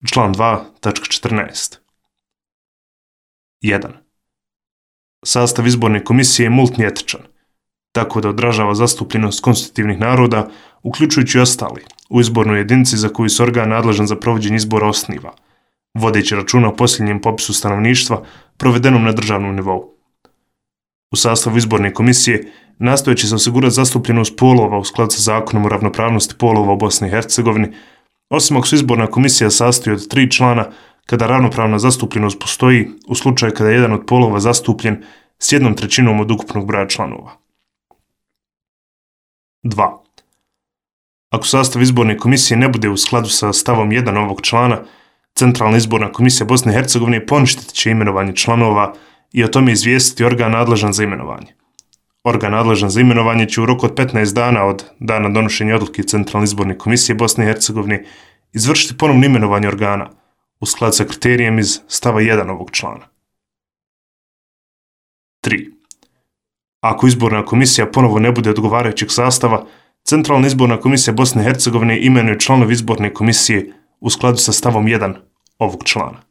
Član 2.14. 1. Sastav izborne komisije je multietničan, tako da odražava zastupljenost konstitutivnih naroda, uključujući ostali, u izbornoj jedinici za koju se organ nadležan za provođenje izbora osniva, vodeći računa o posljednjem popisu stanovništva provedenom na državnom nivou. U sastavu izborne komisije nastojeći se osigurati zastupljenost polova u skladu sa zakonom o ravnopravnosti polova u Bosni i Hercegovini, osim ako se izborna komisija sastoji od 3 člana, kada ravnopravna zastupljenost postoji u slučaju kada je jedan od polova zastupljen s 1/3 od ukupnog broja članova. 2. Ako sastav izborne komisije ne bude u skladu sa stavom 1 ovog člana, Centralna izborna komisija Bosne i Hercegovine poništit će imenovanje članova i o tome izvijestiti organ nadležan za imenovanje. Organ nadležan za imenovanje će u roku od 15 dana od dana donošenja odluke Centralne izborne komisije Bosne i Hercegovine izvršiti ponovno imenovanje organa u skladu sa kriterijem iz stava 1 ovog člana. 3. Ako izborna komisija ponovo ne bude odgovarajućeg sastava, Centralna izborna komisija Bosne i Hercegovine imenuje članove izborne komisije u skladu sa stavom 1 ovog člana.